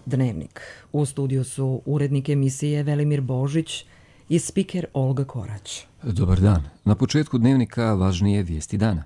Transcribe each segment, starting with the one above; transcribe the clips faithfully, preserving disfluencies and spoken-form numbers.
Dnevnik. U studiju su urednik emisije Velimir Božić i spiker Olga Korać. Dobar dan. Na početku Dnevnika važnije vijesti dana.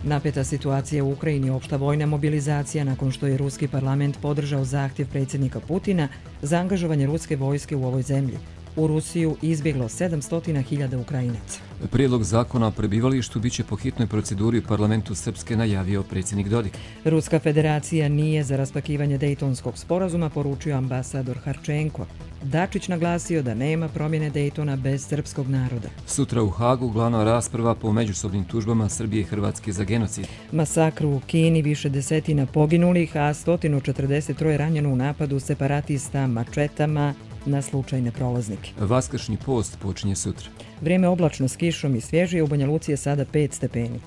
Napeta situacija u Ukrajini, opšta vojna mobilizacija nakon što je ruski parlament podržao zahtjev predsjednika Putina za angažovanje ruske vojske u ovoj zemlji. U Rusiju izbjeglo sedamsto hiljada Ukrajinaca. Prijedlog zakona o prebivalištu biće po hitnoj proceduri u parlamentu Srpske, najavio predsjednik Dodik. Ruska federacija nije za raspakivanje Dejtonskog sporazuma, poručio ambasador Harčenko. Dačić naglasio da nema promjene Dejtona bez srpskog naroda. Sutra u Hagu glavna rasprava po međusobnim tužbama Srbije i Hrvatske za genocid. Masakru u Kini, više desetina poginulih, a sto četrdeset tri ranjeno u napadu separatista mačetama na slučajne prolaznike. Vaskršnji post počinje sutra. Vrijeme oblačno s kišom i svježije, u Banja Luci je sada pet stepeni.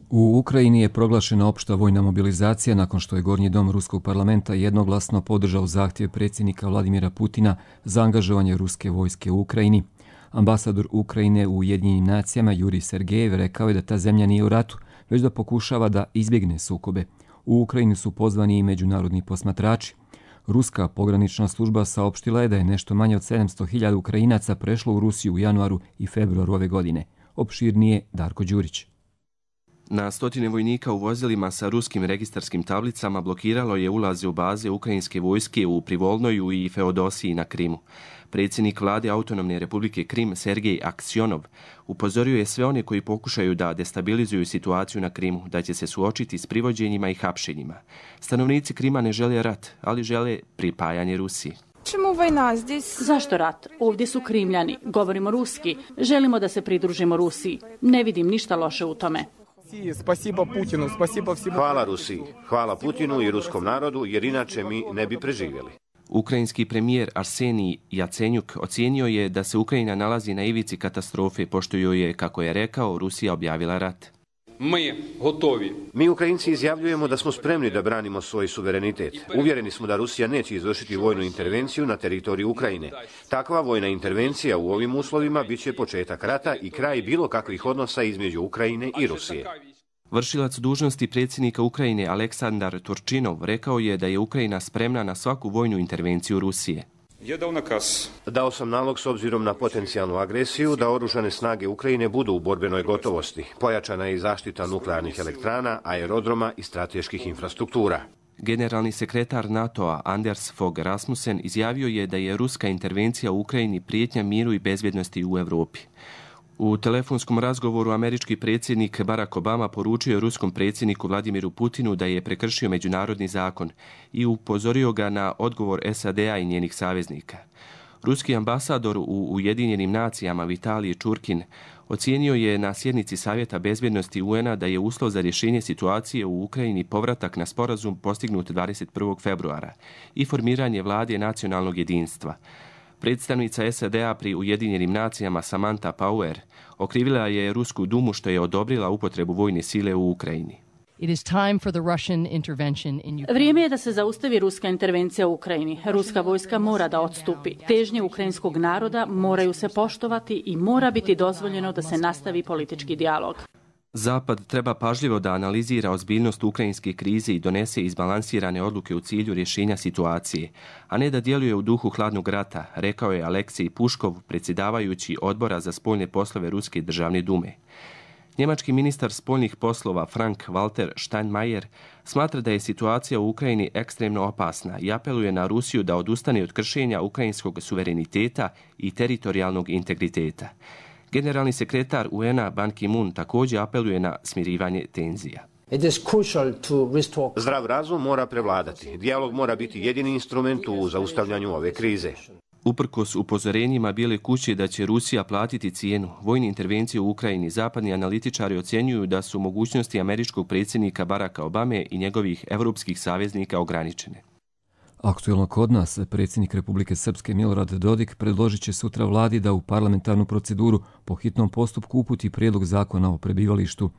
U Ukrajini je proglašena opšta vojna mobilizacija nakon što je Gornji dom Ruskog parlamenta jednoglasno podržao zahtjev predsjednika Vladimira Putina za angažovanje ruske vojske u Ukrajini. Ambasador Ukrajine u Ujedinjenim nacijama Jurij Sergejev rekao je da ta zemlja nije u ratu, već da pokušava da izbjegne sukobe. U Ukrajini su pozvani i međunarodni posmatrači. Ruska pogranična služba saopštila je da je nešto manje od sedamsto hiljada Ukrajinaca prešlo u Rusiju u januaru i februaru ove godine. Opširnije Darko Đurić. Na stotine vojnika u vozilima sa ruskim registarskim tablicama blokiralo je ulaze u baze ukrajinske vojske u Privolnoju i Feodosiji na Krimu. Predsjednik vlade Autonomne republike Krim Sergej Aksionov upozorio je sve one koji pokušaju da destabilizuju situaciju na Krimu da će se suočiti s privođenjima i hapšenjima. Stanovnici Krima ne žele rat, ali žele pripajanje Rusiji. Čemu vojna zdjes? Zašto rat? Ovdje su Krimljani. Govorimo ruski. Želimo da se pridružimo Rusiji. Ne vidim ništa loše u tome. Hvala Rusiji, hvala Putinu i ruskom narodu, jer inače mi ne bi preživjeli. Ukrajinski premijer Arsenij Jacenjuk ocijenio je da se Ukrajina nalazi na ivici katastrofe, pošto joj je, kako je rekao, Rusija objavila rat. Mi, gotovi. Mi Ukrajinci izjavljujemo da smo spremni da branimo svoj suverenitet. Uvjereni smo da Rusija neće izvršiti vojnu intervenciju na teritoriju Ukrajine. Takva vojna intervencija u ovim uslovima bit će početak rata i kraj bilo kakvih odnosa između Ukrajine i Rusije. Vršilac dužnosti predsjednika Ukrajine Aleksandar Turčinov rekao je da je Ukrajina spremna na svaku vojnu intervenciju Rusije. Dao sam nalog s obzirom na potencijalnu agresiju da oružane snage Ukrajine budu u borbenoj gotovosti. Pojačana je i zaštita nuklearnih elektrana, aerodroma i strateških infrastruktura. Generalni sekretar NATO-a Anders Fogh Rasmussen izjavio je da je ruska intervencija u Ukrajini prijetnja miru i bezbjednosti u Europi. U telefonskom razgovoru američki predsjednik Barack Obama poručio ruskom predsjedniku Vladimiru Putinu da je prekršio međunarodni zakon i upozorio ga na odgovor S A D-a i njenih saveznika. Ruski ambasador u Ujedinjenim nacijama Vitalij Čurkin ocijenio je na sjednici Savjeta bezbjednosti U N-a da je uslov za rješenje situacije u Ukrajini povratak na sporazum postignut dvadeset prvog februara i formiranje vlade nacionalnog jedinstva. Predstavnica S A D-a pri Ujedinjenim nacijama Samantha Power okrivila je Rusku dumu što je odobrila upotrebu vojne sile u Ukrajini. Vrijeme je da se zaustavi ruska intervencija u Ukrajini. Ruska vojska mora da odstupi. Težnje ukrajinskog naroda moraju se poštovati i mora biti dozvoljeno da se nastavi politički dijalog. Zapad treba pažljivo da analizira ozbiljnost ukrajinske krize i donese izbalansirane odluke u cilju rješenja situacije, a ne da djeluje u duhu hladnog rata, rekao je Aleksej Puškov, predsjedavajući odbora za spoljne poslove Ruske državne dume. Njemački ministar spoljnih poslova Frank Walter Steinmeier smatra da je situacija u Ukrajini ekstremno opasna i apeluje na Rusiju da odustane od kršenja ukrajinskog suvereniteta i teritorijalnog integriteta. Generalni sekretar U N-a Ban Ki-moon također apeluje na smirivanje tenzija. Zdrav razum mora prevladati. Dijalog mora biti jedini instrument u zaustavljanju ove krize. Uprkos upozorenjima Bijele kuće da će Rusija platiti cijenu vojne intervencije u Ukrajini, zapadni analitičari ocjenjuju da su mogućnosti američkog predsjednika Baracka Obame i njegovih evropskih saveznika ograničene. Aktuelno kod nas, predsjednik Republike Srpske Milorad Dodik predložit će sutra vladi da u parlamentarnu proceduru po hitnom postupku uputi prijedlog zakona o prebivalištu.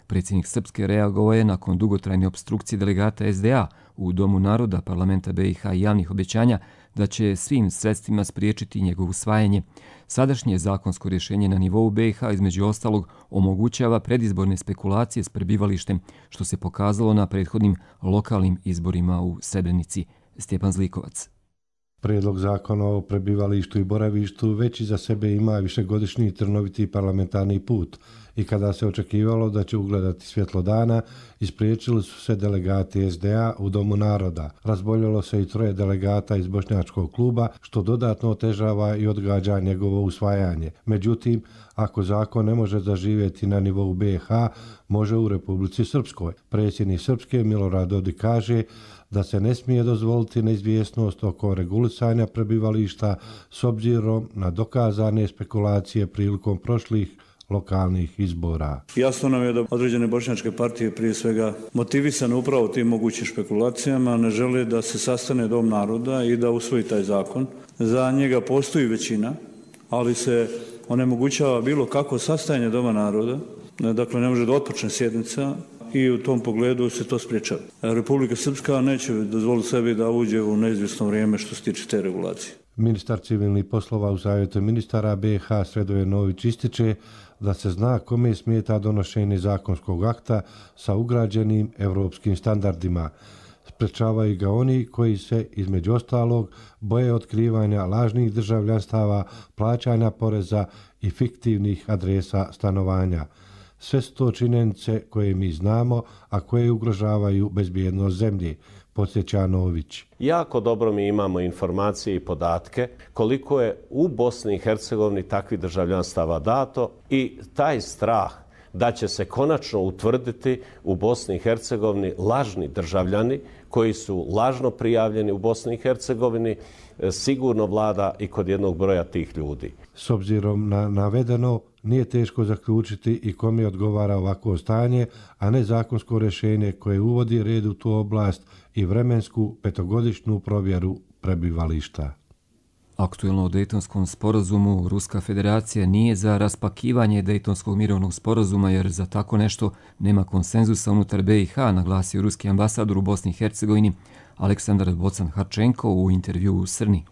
Predsjednik Srpske reagovao je nakon dugotrajne opstrukcije delegata S D A u Domu naroda parlamenta B i H i javnih obećanja da će svim sredstvima spriječiti njegovo usvajanje. Sadašnje zakonsko rješenje na nivou B i H između ostalog omogućava predizborne spekulacije s prebivalištem, što se pokazalo na prethodnim lokalnim izborima u Srebrenici. Stjepan Zlikovac. Prijedlog zakona o prebivalištu i boravištu već iza sebe ima višegodišnji trnoviti parlamentarni put i kada se očekivalo da će ugledati svjetlo dana, ispriječili su se delegati S D A u Domu naroda. Razboljelo se i troje delegata iz Bošnjačkog kluba, što dodatno otežava i odgađa njegovo usvajanje. Međutim, ako zakon ne može zaživjeti na nivou B i H, može u Republici Srpskoj. Predsjednik Srpske Milorad Dodik kaže da se ne smije dozvoliti neizvjesnost oko regulisanja prebivališta s obzirom na dokazane spekulacije prilikom prošlih lokalnih izbora. Jasno nam je da određene bošnjačke partije, prije svega motivisane upravo tim mogućim špekulacijama, ne žele da se sastane Dom naroda i da usvoji taj zakon. Za njega postoji većina, ali se onemogućava bilo kako sastajanje Doma naroda, dakle ne može da otpočne sjednica i u tom pogledu se to spriječava. Republika Srpska neće dozvoliti sebi da uđe u neizvjesno vrijeme što se tiče te regulacije. Ministar civilnih poslova u Savjetu ministara B i H Sredoje Nović ističe da se zna kome smeta donošenje zakonskog akta sa ugrađenim evropskim standardima. Sprečavaju ga oni koji se, između ostalog, boje otkrivanja lažnih državljanstava, plaćanja poreza i fiktivnih adresa stanovanja. Sve su to činjenice koje mi znamo, a koje ugrožavaju bezbjednost zemlje, podsjeća Nović. Jako dobro mi imamo informacije i podatke koliko je u Bosni i Hercegovini takvih državljanstava dato i taj strah da će se konačno utvrditi u Bosni i Hercegovini lažni državljani koji su lažno prijavljeni u Bosni i Hercegovini, sigurno vlada i kod jednog broja tih ljudi. S obzirom na navedeno, nije teško zaključiti i kome odgovara ovako stanje, a ne zakonsko rješenje koje uvodi red u tu oblast i vremensku petogodišnju provjeru prebivališta. Aktuelno o Dejtonskom sporazumu Ruska federacija nije za raspakivanje Dejtonskog mirovnog sporazuma jer za tako nešto nema konsenzusa unutar B i H, naglasio ruski ambasador u Bosni i Hercegovini Aleksandar Bocan-Harčenko u intervjuu u Srni.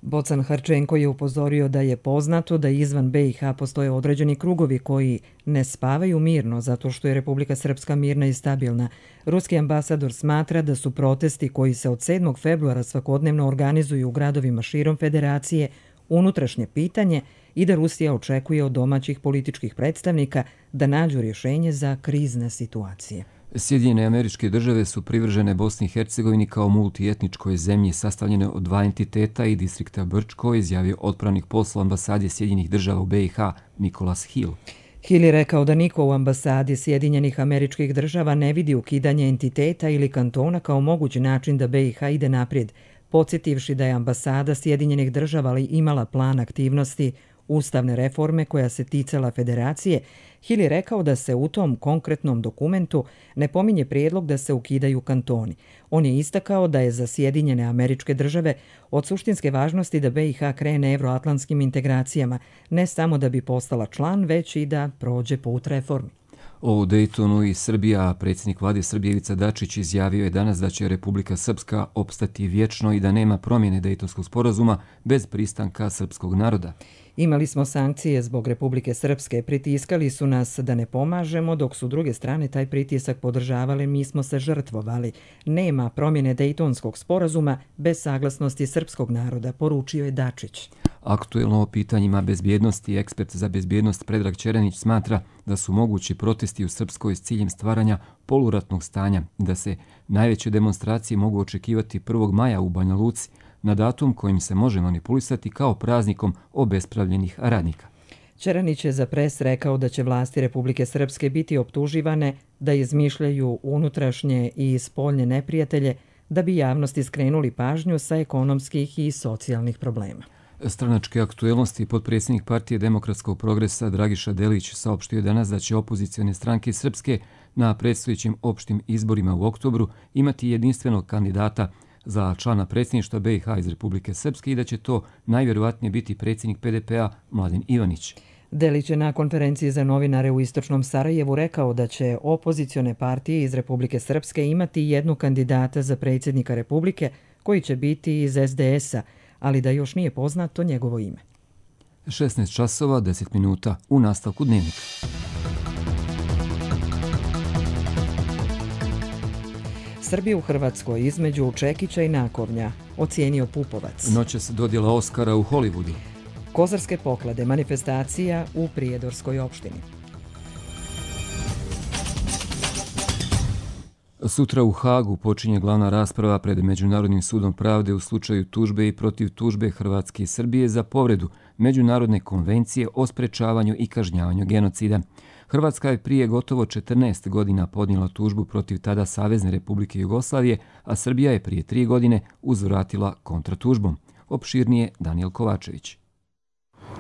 Bocan-Harčenko je upozorio da je poznato da izvan B i H postoje određeni krugovi koji ne spavaju mirno zato što je Republika Srpska mirna i stabilna. Ruski ambasador smatra da su protesti koji se od sedmog februara svakodnevno organizuju u gradovima širom federacije unutrašnje pitanje i da Rusija očekuje od domaćih političkih predstavnika da nađu rješenje za krizne situacije. Sjedinjene Američke Države su privržene Bosni i Hercegovini kao multietničkoj zemlji sastavljene od dva entiteta i distrikta Brčko, izjavio otpravnik posla ambasade Sjedinjenih Država u B i H Nicholas Hill. Hill je rekao da niko u ambasadi Sjedinjenih Američkih Država ne vidi ukidanje entiteta ili kantona kao mogući način da B i H ide naprijed, podsjetivši da je ambasada Sjedinjenih Država imala plan aktivnosti ustavne reforme koja se ticala federacije. Hill je rekao da se u tom konkretnom dokumentu ne pominje prijedlog da se ukidaju kantoni. On je istakao da je za Sjedinjene Američke Države od suštinske važnosti da B i H krene evroatlantskim integracijama, ne samo da bi postala član, već i da prođe put reformi. O Dejtonu i Srbija, predsjednik vlade Srbije Ivica Dačić izjavio je danas da će Republika Srpska opstati vječno i da nema promjene Dejtonskog sporazuma bez pristanka srpskog naroda. Imali smo sankcije zbog Republike Srpske, pritiskali su nas da ne pomažemo, dok su druge strane taj pritisak podržavali, mi smo se žrtvovali. Nema promjene Dejtonskog sporazuma bez saglasnosti srpskog naroda, poručio je Dačić. Aktuelno o pitanjima bezbjednosti, ekspert za bezbjednost Predrag Čeranić smatra da su mogući protesti u Srpskoj s ciljem stvaranja poluratnog stanja i da se najveće demonstracije mogu očekivati prvog maja u Banja Luci, na datum kojim se može manipulisati kao praznikom obespravljenih radnika. Čeranić je za Pres rekao da će vlasti Republike Srpske biti optuživane da izmišljaju unutrašnje i spoljne neprijatelje da bi javnosti skrenuli pažnju sa ekonomskih i socijalnih problema. Stranačke aktuelnosti potpredsjednik Partije demokratskog progresa Dragiša Delić saopštio danas da će opozicione stranke Srpske na predstojećim opštim izborima u oktobru imati jedinstvenog kandidata za člana predsjedništva B i H iz Republike Srpske i da će to najvjerovatnije biti predsjednik P D P-a Mladen Ivanić. Delić je na konferenciji za novinare u Istočnom Sarajevu rekao da će opozicione partije iz Republike Srpske imati jednu kandidata za predsjednika Republike koji će biti iz es de es a, ali da još nije poznato njegovo ime. šesnaest časova deset minuta u nastavku dnevnika. Srbija u Hrvatskoj između čekića i nakovnja, ocijenio Pupovac. Noćas dodjela Oskara u Hollywoodu. Kozarske poklade, manifestacija u Prijedorskoj opštini. Sutra u Hagu počinje glavna rasprava pred Međunarodnim sudom pravde u slučaju tužbe i protiv tužbe Hrvatske i Srbije za povredu Međunarodne konvencije o sprečavanju i kažnjavanju genocida. Hrvatska je prije gotovo četrnaest godina podnijela tužbu protiv tada Savezne Republike Jugoslavije, a Srbija je prije tri godine uzvratila kontratužbom. Opširnije Danijel Kovačević.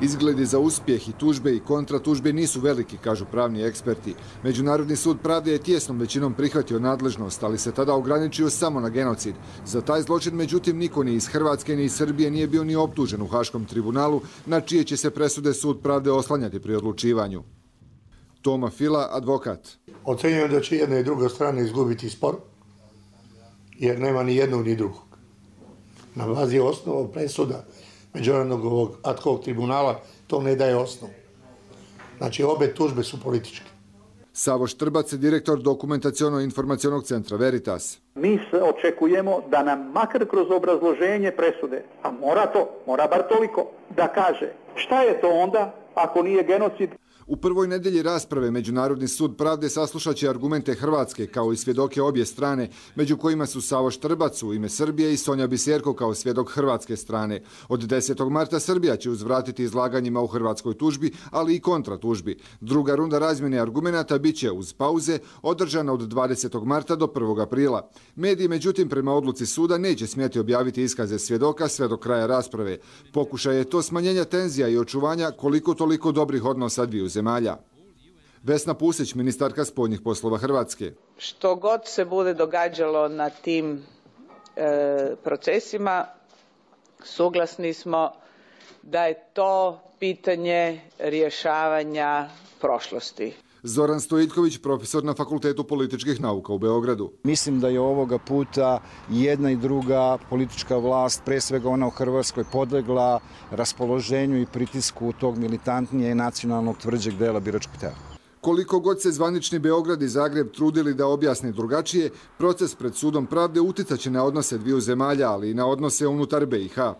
Izgledi za uspjeh i tužbe i kontratužbe nisu veliki, kažu pravni eksperti. Međunarodni sud pravde je tijesnom većinom prihvatio nadležnost, ali se tada ograničio samo na genocid. Za taj zločin, međutim, niko ni iz Hrvatske ni iz Srbije nije bio ni optužen u Haškom tribunalu, na čije će se presude sud pravde oslanjati pri odlučivanju. Toma Fila, advokat. Ocenjujem da će jedna i druga strana izgubiti spor, jer nema ni jednog ni drugog. Na bazi osnova presuda Međunarodnog ovog ad hoc tribunala to ne daje osnovu. Znači, obe tužbe su političke. Savo Štrbac, direktor dokumentaciono-informacionog centra Veritas. Mi se očekujemo da nam makar kroz obrazloženje presude, a mora to, mora bar toliko, da kaže šta je to onda ako nije genocid. U prvoj nedelji rasprave Međunarodni sud pravde saslušat će argumente Hrvatske kao i svjedoke obje strane, među kojima su Savo Štrbac u ime Srbije i Sonja Biserko kao svjedok hrvatske strane. Od desetog marta Srbija će uzvratiti izlaganjima u hrvatskoj tužbi, ali i kontratužbi. Druga runda razmjene argumenata bit će uz pauze održana od dvadesetog marta do prvog aprila. Mediji, međutim, prema odluci suda neće smjeti objaviti iskaze svjedoka sve do kraja rasprave. Pokušaj je to smanjenja tenzija i očuvanja koliko toliko dobrih odnosa dviju zemalja. Vesna Pusić, ministarka spoljnih poslova Hrvatske. Što god se bude događalo na tim e, procesima, suglasni smo da je to pitanje rješavanja prošlosti. Zoran Stojiljković, profesor na Fakultetu političkih nauka u Beogradu. Mislim da je ovoga puta jedna i druga politička vlast, pre svega ona u Hrvatskoj, podlegla raspoloženju i pritisku tog militantnije i nacionalnog tvrđeg dela biračkog tela. Koliko god se zvanični Beograd i Zagreb trudili da objasne drugačije, proces pred sudom pravde uticaće na odnose dviju zemalja, ali i na odnose unutar be i ha.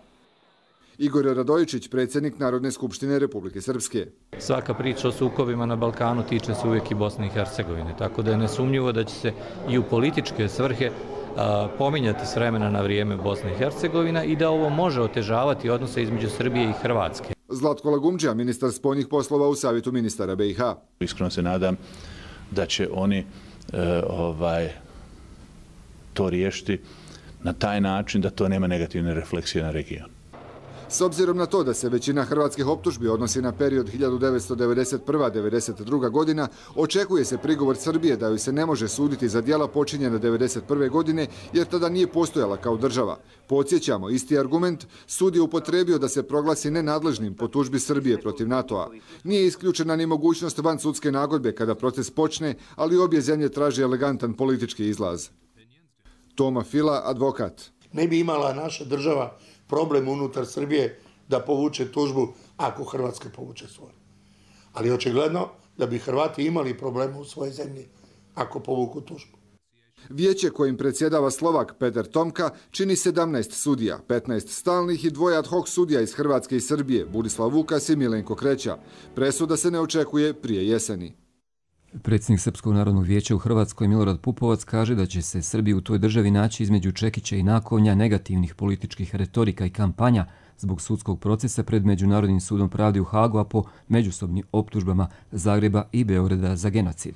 Igor Radojičić, predsjednik Narodne skupštine Republike Srpske. Svaka priča o sukobima na Balkanu tiče se uvijek i Bosne i Hercegovine, tako da je nesumnjivo da će se i u političke svrhe a, pominjati s vremena na vrijeme Bosna i Hercegovina i da ovo može otežavati odnose između Srbije i Hrvatske. Zlatko Lagumdžija, ministar spoljnih poslova u Savjetu ministara be i ha. Iskreno se nadam da će oni e, ovaj, to riješiti na taj način da to nema negativne refleksije na region. S obzirom na to da se većina hrvatskih optužbi odnosi na period hiljadu devetsto devedeset prva do devedeset druga godina, očekuje se prigovor Srbije da joj se ne može suditi za djela počinjena devedeset prve godine jer tada nije postojala kao država. Podsjećamo, isti argument sud je upotrebio da se proglasi nenadležnim po tužbi Srbije protiv NATO-a. Nije isključena ni mogućnost vansudske nagodbe kada proces počne, ali obje zemlje traže elegantan politički izlaz. Toma Fila, advokat. Ne bi imala naša država problem unutar Srbije da povuče tužbu ako Hrvatska povuče svoje. Ali očigledno da bi Hrvati imali problema u svojoj zemlji ako povuku tužbu. Vijeće kojim predsjedava Slovak Petar Tomka čini sedamnaest sudija, petnaest stalnih i dvoje ad hoc sudija iz Hrvatske i Srbije, Burislav Vukas i Milenko Kreća. Presuda se ne očekuje prije jeseni. Predsjednik Srpskog narodnog vijeća u Hrvatskoj Milorad Pupovac kaže da će se Srbiji u toj državi naći između čekića i nakovnja negativnih političkih retorika i kampanja zbog sudskog procesa pred Međunarodnim sudom pravde u Hagu, a po međusobnim optužbama Zagreba i Beograda za genocid.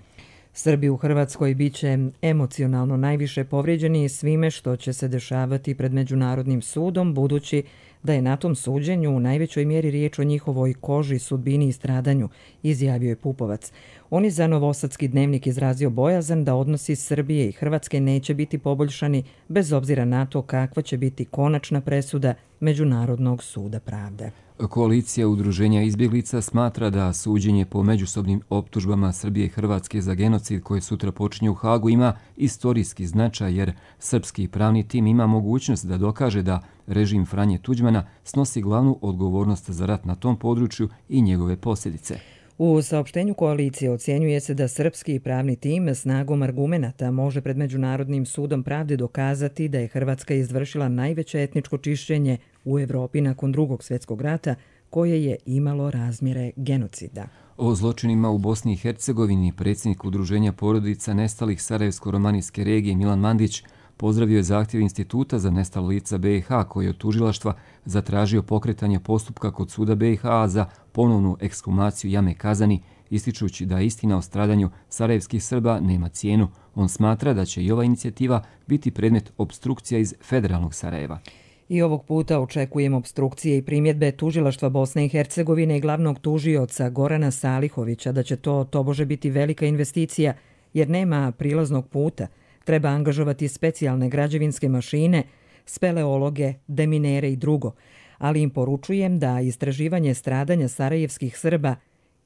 Srbi u Hrvatskoj bit će emocionalno najviše povrijeđeni svime što će se dešavati pred Međunarodnim sudom, budući da je na tom suđenju u najvećoj mjeri riječ o njihovoj koži, sudbini i stradanju, izjavio je Pupovac. On je za Novosadski dnevnik izrazio bojazan da odnosi Srbije i Hrvatske neće biti poboljšani bez obzira na to kakva će biti konačna presuda Međunarodnog suda pravde. Koalicija udruženja izbjeglica smatra da suđenje po međusobnim optužbama Srbije i Hrvatske za genocid koje sutra počinje u Hagu ima istorijski značaj jer srpski pravni tim ima mogućnost da dokaže da režim Franje Tuđmana snosi glavnu odgovornost za rat na tom području i njegove posljedice. U saopštenju koalicije ocjenjuje se da srpski pravni tim snagom argumenata može pred Međunarodnim sudom pravde dokazati da je Hrvatska izvršila najveće etničko čišćenje u Evropi nakon Drugog svjetskog rata koje je imalo razmjere genocida. O zločinima u Bosni i Hercegovini predsjednik Udruženja porodica nestalih Sarajevsko-romanijske regije Milan Mandić pozdravio je zahtjev Instituta za nestala lica B i H koji je od tužilaštva zatražio pokretanje postupka kod suda B i H za ponovnu ekshumaciju jame Kazani, ističući da istina o stradanju sarajevskih Srba nema cijenu. On smatra da će i ova inicijativa biti predmet opstrukcija iz federalnog Sarajeva. I ovog puta očekujemo opstrukcije i primjedbe tužilaštva Bosne i Hercegovine i glavnog tužioca Gorana Salihovića da će to tobože biti velika investicija jer nema prilaznog puta. Treba angažovati specijalne građevinske mašine, speleologe, deminere i drugo. Ali im poručujem da istraživanje stradanja sarajevskih Srba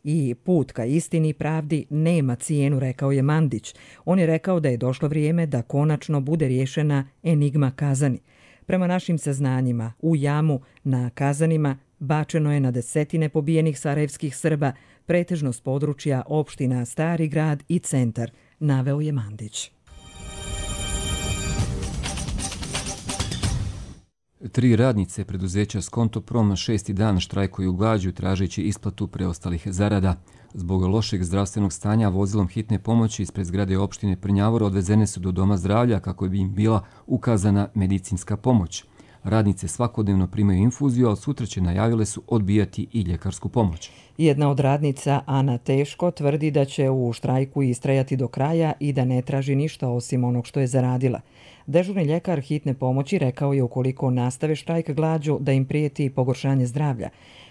i put ka istini i pravdi nema cijenu, rekao je Mandić. On je rekao da je došlo vrijeme da konačno bude riješena enigma Kazani. Prema našim saznanjima, u jamu na Kazanima bačeno je na desetine pobijenih sarajevskih Srba, pretežno s područja opština Stari grad i Centar, naveo je Mandić. Tri radnice preduzeća Skontoprom šesti dan štrajkuju glađu tražeći isplatu preostalih zarada. Zbog lošeg zdravstvenog stanja vozilom hitne pomoći ispred zgrade opštine Prnjavor odvezene su do doma zdravlja kako bi im bila ukazana medicinska pomoć. Radnice svakodnevno primaju infuziju, a sutra će najavile su odbijati i ljekarsku pomoć. Jedna od radnica, Ana Teško, tvrdi da će u štrajku istrajati do kraja i da ne traži ništa osim onog što je zaradila. Dežurni ljekar hitne pomoći rekao je ukoliko nastave štrajk glađu da im prijeti pogoršanje zdravlja.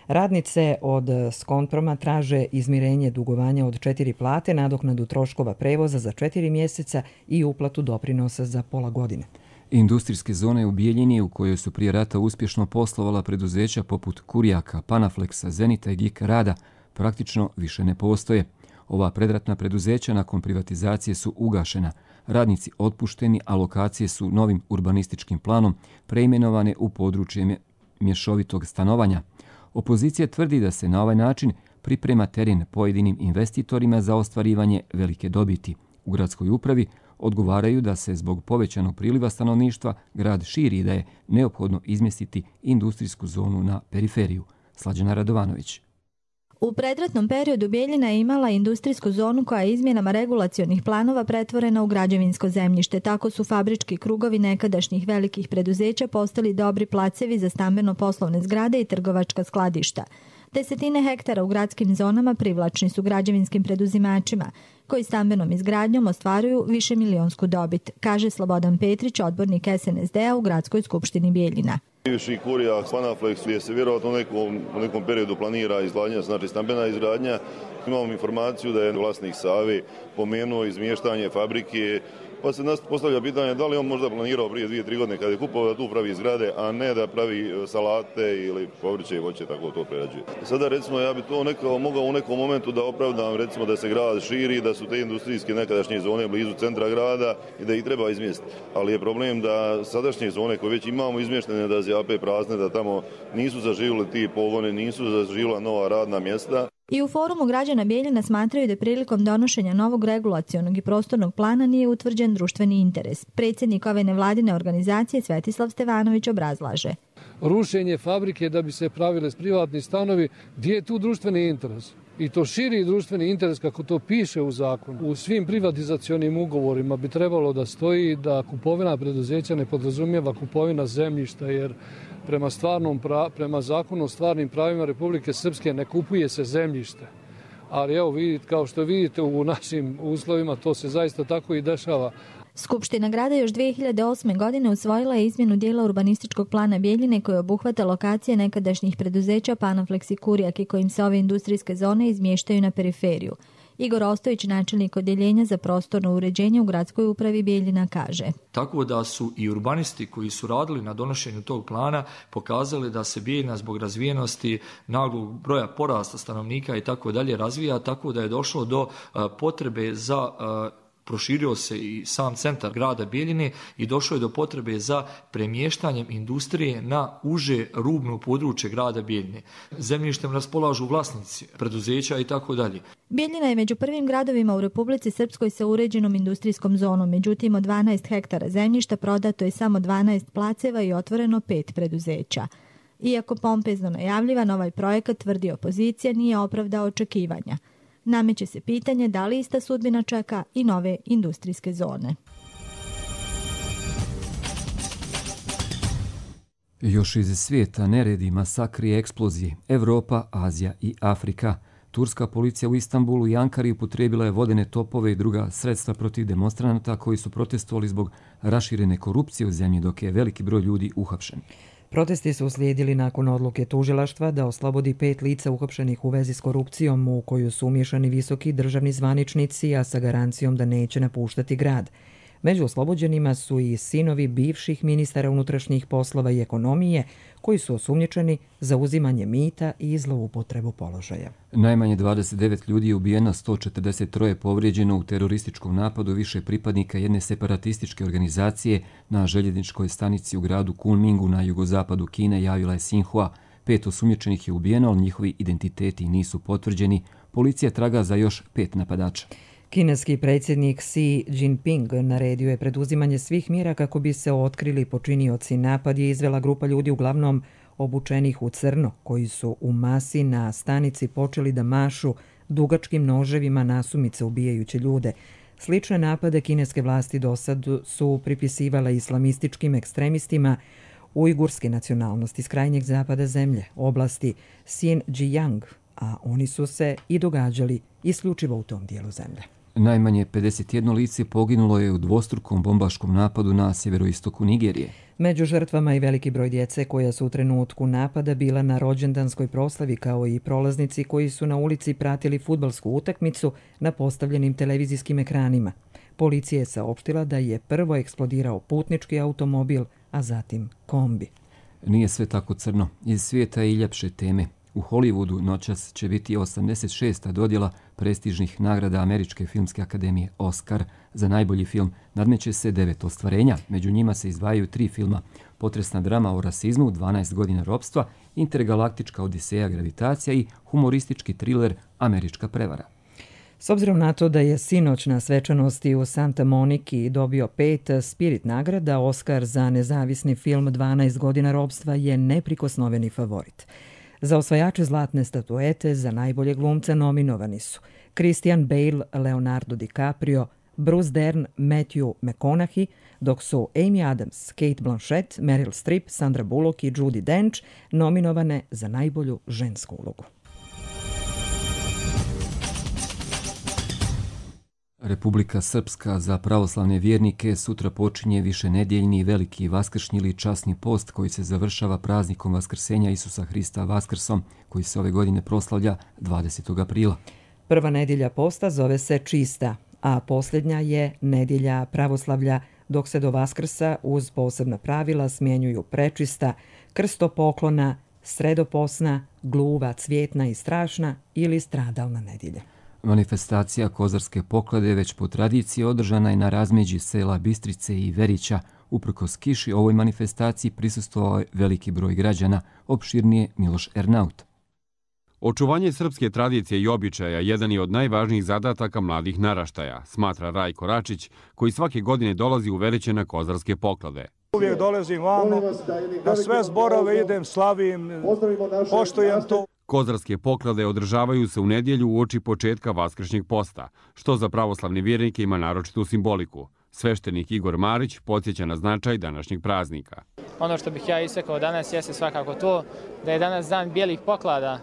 Radnice od Skonproma traže izmirenje dugovanja od četiri plate, nadoknadu troškova prevoza za četiri mjeseca i uplatu doprinosa za pola godine. Industrijske zone u Bijeljini, u kojoj su prije rata uspješno poslovala preduzeća poput Kurjaka, Panaflexa, Zenita i Gik Rada, praktično više ne postoje. Ova predratna preduzeća nakon privatizacije su ugašena. Radnici otpušteni, a lokacije su novim urbanističkim planom preimenovane u područje mješovitog stanovanja. Opozicija tvrdi da se na ovaj način priprema teren pojedinim investitorima za ostvarivanje velike dobiti. U gradskoj upravi odgovaraju da se zbog povećanog priliva stanovništva grad širi i da je neophodno izmjestiti industrijsku zonu na periferiju. Slađana Radovanović. U predratnom periodu Bijeljina je imala industrijsku zonu koja je izmjenama regulacionih planova pretvorena u građevinsko zemljište. Tako su fabrički krugovi nekadašnjih velikih preduzeća postali dobri placevi za stambeno-poslovne zgrade i trgovačka skladišta. Desetine hektara u gradskim zonama privlačni su građevinskim preduzimačima, koji stambenom izgradnjom ostvaruju više milionsku dobit, kaže Slobodan Petrić, odbornik S N S D-a u Gradskoj skupštini Bijeljina. Bivši Kurjak, Panaflex, gdje se vjerojatno u nekom, u nekom periodu planira izgradnja, znači stambena izgradnja. Imamo informaciju da je vlasnik Save pomenuo izmještanje fabrike, pa se nas postavlja pitanje da li on možda planirao prije dvije, tri godine kada je kupovao da tu pravi zgrade, a ne da pravi salate ili povrće i voće, tako to prerađuje. Sada recimo ja bi to nekao, mogao u nekom momentu da opravdam recimo da se grad širi, da su te industrijske nekadašnje zone blizu centra grada i da ih treba izmjestiti. Ali je problem da sadašnje zone koje već imamo izmještene da zjape prazne, da tamo nisu zaživjeli ti pogone, nisu zaživjela nova radna mjesta. I u forumu građana Bijeljina smatraju da prilikom donošenja novog regulacionog i prostornog plana nije utvrđen društveni interes. Predsjednik ove nevladine organizacije Svetislav Stevanović obrazlaže. Rušenje fabrike da bi se pravile privatni stanovi, gdje je tu društveni interes? I to širi društveni interes kako to piše u zakonu. U svim privatizacionim ugovorima bi trebalo da stoji da kupovina preduzeća ne podrazumijeva kupovina zemljišta, jer prema, stvarnom, prema zakonu o stvarnim pravima Republike Srpske ne kupuje se zemljište. Ali evo, vidite, kao što vidite u našim uslovima to se zaista tako i dešava. Skupština grada još dvije hiljade osme. godine usvojila je izmjenu dijela urbanističkog plana Bijeljine koji obuhvata lokacije nekadašnjih preduzeća Panaflex i Kurjak i kojim se ove industrijske zone izmještaju na periferiju. Igor Ostojić, načelnik odjeljenja za prostorno uređenje u gradskoj upravi Bijeljina, kaže. Tako da su i urbanisti koji su radili na donošenju tog plana pokazali da se Bijeljina zbog razvijenosti, naglog broja porasta stanovnika i tako dalje razvija, tako da je došlo do uh, potrebe za uh, proširio se i sam centar grada Bijeljine i došlo je do potrebe za premještanjem industrije na uže rubno područje grada Bijeljine. Zemljištem raspolažu vlasnici preduzeća i tako dalje. Bijeljina je među prvim gradovima u Republici Srpskoj sa uređenom industrijskom zonom. Međutim, od dvanaest hektara zemljišta prodato je samo dvanaest placeva i otvoreno pet preduzeća. Iako pompezno najavljivan, ovaj projekat, tvrdi opozicija, nije opravdao očekivanja. Nameće se pitanje da li ista sudbina čeka i nove industrijske zone. Još iz svijeta neredi, masakri i eksplozije. Evropa, Azija i Afrika. Turska policija u Istanbulu i Ankari upotrijebila je vodene topove i druga sredstva protiv demonstranata koji su protestovali zbog raširene korupcije u zemlji, dok je veliki broj ljudi uhapšen. Protesti su uslijedili nakon odluke tužilaštva da oslobodi pet lica uhapšenih u vezi s korupcijom u koju su umiješani visoki državni zvaničnici, a sa garancijom da neće napuštati grad. Među oslobođenima su i sinovi bivših ministara unutrašnjih poslova i ekonomije, koji su osumnjičeni za uzimanje mita i zloupotrebu položaja. Najmanje dvadeset devet ljudi je ubijeno, sto četrdeset tri je povrijeđeno u terorističkom napadu više pripadnika jedne separatističke organizacije na željezničkoj stanici u gradu Kunmingu na jugozapadu Kine, javila je Xinhua. Pet osumnjičenih je ubijeno, ali njihovi identiteti nisu potvrđeni. Policija traga za još pet napadača. Kineski predsjednik Xi Jinping naredio je preduzimanje svih mjera kako bi se otkrili počinioci. Napad je izvela grupa ljudi uglavnom obučenih u crno, koji su u masi na stanici počeli da mašu dugačkim noževima nasumice ubijajući ljude. Slične napade kineske vlasti do sad su pripisivale islamističkim ekstremistima ujgurske nacionalnosti iz krajnjeg zapada zemlje, oblasti Xinjiang, a oni su se i događali isključivo u tom dijelu zemlje. Najmanje pedeset jedno lice poginulo je u dvostrukom bombaškom napadu na sjeveroistoku Nigerije. Među žrtvama i veliki broj djece koja su u trenutku napada bila na rođendanskoj proslavi, kao i prolaznici koji su na ulici pratili fudbalsku utakmicu na postavljenim televizijskim ekranima. Policija je saopštila da je prvo eksplodirao putnički automobil, a zatim kombi. Nije sve tako crno. Iz svijeta i ljepše teme. U Hollywoodu noćas će biti osamdeset šesta dodjela prestižnih nagrada Američke filmske akademije Oscar. Za najbolji film nadmeće se devet ostvarenja. Među njima se izdvajaju tri filma: potresna drama o rasizmu, dvanaest godina ropstva, intergalaktička odiseja gravitacija i humoristički triler Američka prevara. S obzirom na to da je sinoć na svečanosti u Santa Moniki dobio pet Spirit nagrada, Oscar za nezavisni film dvanaest godina ropstva je neprikosnoveni favorit. Za osvajače zlatne statuete za najbolje glumca nominovani su Christian Bale, Leonardo DiCaprio, Bruce Dern, Matthew McConaughey, dok su Amy Adams, Kate Blanchett, Meryl Streep, Sandra Bullock i Judi Dench nominovane za najbolju žensku ulogu. Republika Srpska za pravoslavne vjernike sutra počinje višenedjeljni veliki vaskršnji ili časni post koji se završava praznikom Vaskrsenja Isusa Hrista Vaskrsom, koji se ove godine proslavlja dvadesetog aprila. Prva nedjelja posta zove se Čista, a posljednja je nedjelja pravoslavlja, dok se do Vaskrsa uz posebna pravila smjenjuju prečista, krstopoklona, sredoposna, gluva, cvjetna i strašna ili stradalna nedjelja. Manifestacija Kozarske poklade već po tradiciji održana je na razmeđi sela Bistrice i Verića. Uprkos kiši ovoj manifestaciji prisustvovao je veliki broj građana, opširnije Miloš Ernaut. Očuvanje srpske tradicije i običaja jedan je od najvažnijih zadataka mladih naraštaja, smatra Rajko Račić, koji svake godine dolazi u Veriće na Kozarske poklade. Uvijek dolazim vamo, na sve zborove idem, slavim, poštujem to. Kozarske poklade održavaju se u nedjelju uoči početka vaskršnjeg posta, što za pravoslavne vjernike ima naročitu simboliku. Sveštenik Igor Marić podsjeća na značaj današnjeg praznika. Ono što bih ja istakao danas jeste svakako to da je danas dan bijelih poklada,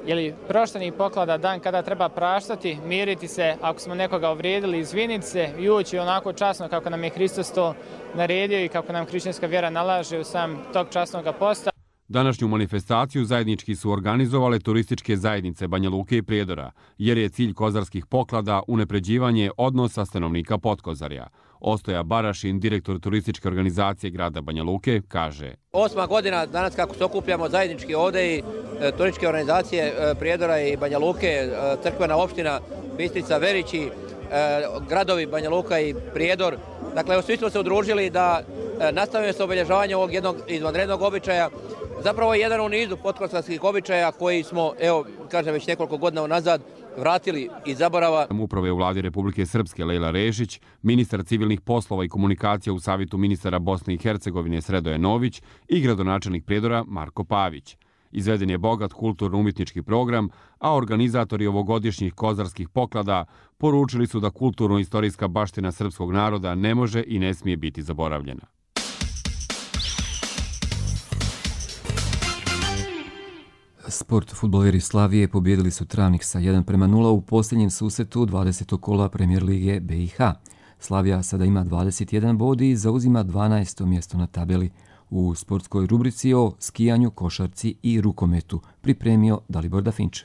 ili proštenih poklada, dan kada treba praštati, miriti se, ako smo nekoga uvrijedili, izviniti se i ući onako časno kako nam je Hristos to naredio i kako nam hrišćanska vjera nalaže u sam tog časnog posta. Današnju manifestaciju zajednički su organizovale turističke zajednice Banja Luke i Prijedora, jer je cilj kozarskih poklada unapređivanje odnosa stanovnika Potkozarja. Ostoja Barašin, direktor turističke organizacije grada Banja Luke, kaže: Osma godina danas kako se okupljamo zajednički ovdje i e, turističke organizacije e, Prijedora i Banja Luke, e, crkvena opština Bistrica, Verići, e, gradovi Banja Luka i Prijedor. Dakle, svi smo se udružili da e, nastavimo se obilježavanje ovog jednog izvanrednog običaja. Zapravo je jedan u nizu potkozarskih običaja koji smo, evo, kažem, već nekoliko godina unazad vratili iz zaborava. Uprave u vladi Republike Srpske Lejla Rešić, ministar civilnih poslova i komunikacija u Savjetu ministara Bosne i Hercegovine Sredoje Nović i gradonačelnik Prijedora Marko Pavić. Izveden je bogat kulturno-umjetnički program, a organizatori ovogodišnjih kozarskih poklada poručili su da kulturno-istorijska baština srpskog naroda ne može i ne smije biti zaboravljena. Sport fudbaleri Slavije pobjedili su Travnik sa jedan prema nula u posljednjem susretu dvadesetog kola Premier lige B i H. Slavija sada ima dvadeset jedan bod i zauzima dvanaesto mjesto na tabeli. U sportskoj rubrici o skijanju, košarci i rukometu pripremio Dalibor Dafinč.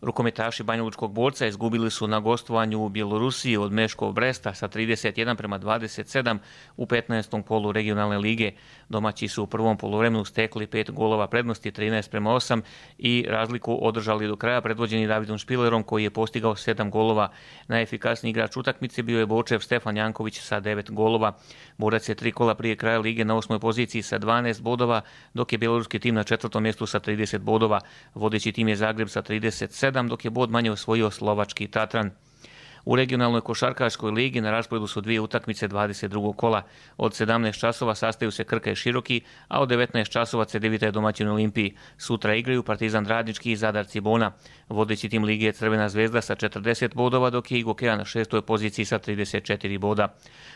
Rukometaši Banjalučkog Borca izgubili su na gostovanju u Bjelorusiji od Meškov Bresta sa trideset jedan prema dvadeset sedam u petnaestom kolu regionalne lige. Domaći su u prvom poluvremenu stekli pet golova prednosti, trinaest prema osam, i razliku održali do kraja predvođeni Davidom Špilerom koji je postigao sedam golova. Najefikasniji igrač utakmice bio je Bočev Stefan Janković sa devet golova. Borac je tri kola prije kraja lige na osmoj poziciji sa dvanaest bodova, dok je bjeloruski tim na četvrtom mjestu sa trideset bodova. Vodeći tim je Zagreb sa trideset sedam, dok je bod manje osvojio slovački Tatran. U regionalnoj košarkaškoj ligi na rasporedu su dvije utakmice dvadeset drugog kola. Od sedamnaest časova sastaju se Krka i Široki, a od devetnaest časova Cedevita je domaćin Olimpiji. Sutra igraju Partizan Radnički i Zadar Cibona. Vodeći tim lige je Crvena zvezda sa četrdeset bodova, dok je Igokea na šestoj poziciji sa trideset četiri boda.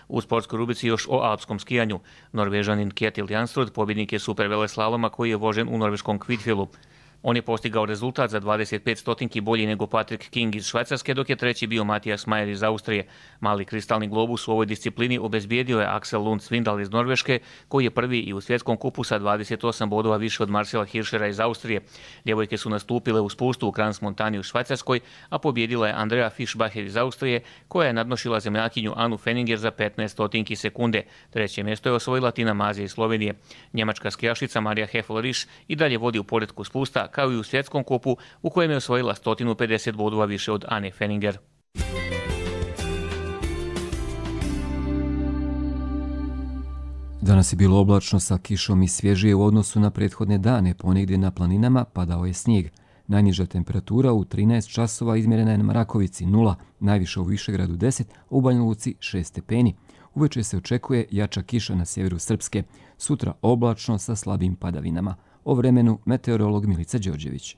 U sportskoj rubrici još o alpskom skijanju. Norvežanin Kjetil Jansrud pobjednik je superveleslaloma koji je vožen u norveškom Kvitfjellu. On je postigao rezultat za dvadeset pet stotinki bolji nego Patrick King iz Švajcarske, dok je treći bio Matijas Majer iz Austrije. Mali kristalni globus u ovoj disciplini obezbijedio je Axel Lund Svindal iz Norveške, koji je prvi i u svjetskom kupu sa dvadeset osam bodova više od Marcela Hirschera iz Austrije. Djevojke su nastupile u spustu u Krans Montani u Švajcarskoj, a pobjedila je Andrea Fischbacher iz Austrije, koja je nadnošila zemljakinju Anu Fenninger za petnaest stotinki sekunde. Treće mjesto je osvojila Tina Maze iz Slovenije. Njemačka skijašica Marija Heffel-Risch i dalje vodi u poretku spusta, kao i u svjetskom kupu u kojem je osvojila sto pedeset bodova više od Ane Fenninger. Danas je bilo oblačno sa kišom i svježije u odnosu na prethodne dane. Ponegdje na planinama padao je snijeg. Najniža temperatura u trinaest časova izmjerena je na Marakovici nula, najviše u Višegradu deset, a u Banja Luci šest stepeni. Uveče se očekuje jača kiša na sjeveru Srpske. Sutra oblačno sa slabim padavinama. O vremenu meteorolog Milica Đorđević.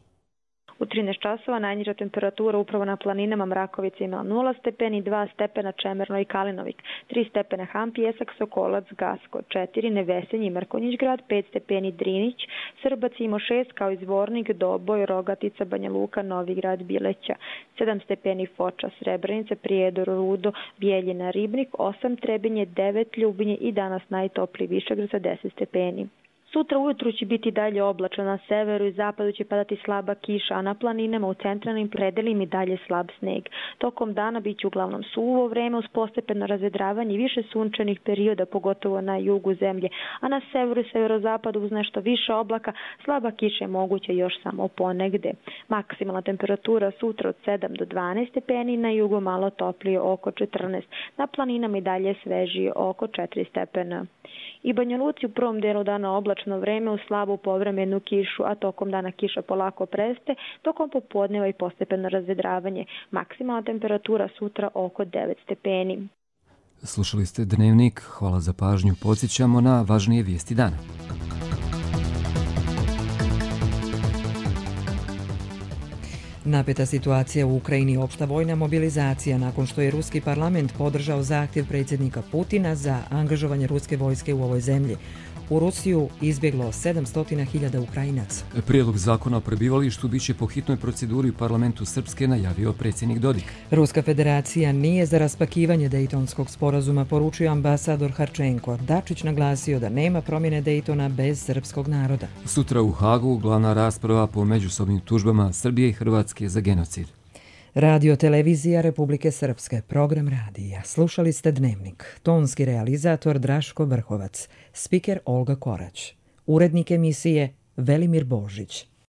U trinaest časova najniža temperatura upravo na planinama Mrakovica ima nula stepeni, dva stepena Čemerno i Kalinovik, tri stepena Hampijesak, Sokolac, Gasko, četiri Nevesenje i Mrkonjić grad, pet stepeni Drinić, Srbac ima šest kao i Zvornik, Doboj, Rogatica, Banja Luka, Novi grad, Bileća, sedam stepeni Foča, Srebrenica, Prijedor, Rudo, Bijeljina, Ribnik, osam Trebinje, devet Ljubinje i danas najtopliji Višegrad sa deset stepeni. Sutra ujutru će biti dalje oblačno, na severu i zapadu će padati slaba kiša, a na planinama u centralnim predelima i dalje slab sneg. Tokom dana bit će uglavnom suvo vreme uz postepeno razvedravanje i više sunčanih perioda, pogotovo na jugu zemlje, a na severu i severozapadu uz nešto više oblaka slaba kiša je moguća još samo ponegde. Maksimalna temperatura sutra od sedam do dvanaest stepeni, na jugu malo toplije oko četrnaest, na planinama i dalje svežije oko četiri stepena. I Banja Luci u prvom delu dana oblačno vreme uz slabu povremenu kišu, a tokom dana kiša polako preste, tokom popodneva i postepeno razvedravanje. Maksimalna temperatura sutra oko devet stepeni. Slušali ste Dnevnik, hvala za pažnju. Podsjećamo na važnije vijesti dana. Napeta situacija u Ukrajini, opšta vojna mobilizacija nakon što je ruski parlament podržao zahtjev predsjednika Putina za angažovanje ruske vojske u ovoj zemlji. U Rusiju izbjeglo sedamsto hiljada Ukrajinaca. Prijedlog zakona o prebivalištu biće po hitnoj proceduri u parlamentu Srpske, najavio predsjednik Dodik. Ruska federacija nije za raspakivanje Dejtonskog sporazuma, poručio ambasador Harčenko. Dačić naglasio da nema promjene Dejtona bez srpskog naroda. Sutra u Hagu glavna rasprava po međusobnim tužbama Srbije i Hrvatske za genocid. Radio televizija Republike Srpske, program radija. Slušali ste Dnevnik. Tonski realizator Draško Vrhovac, spiker Olga Korać. Urednik emisije Velimir Božić.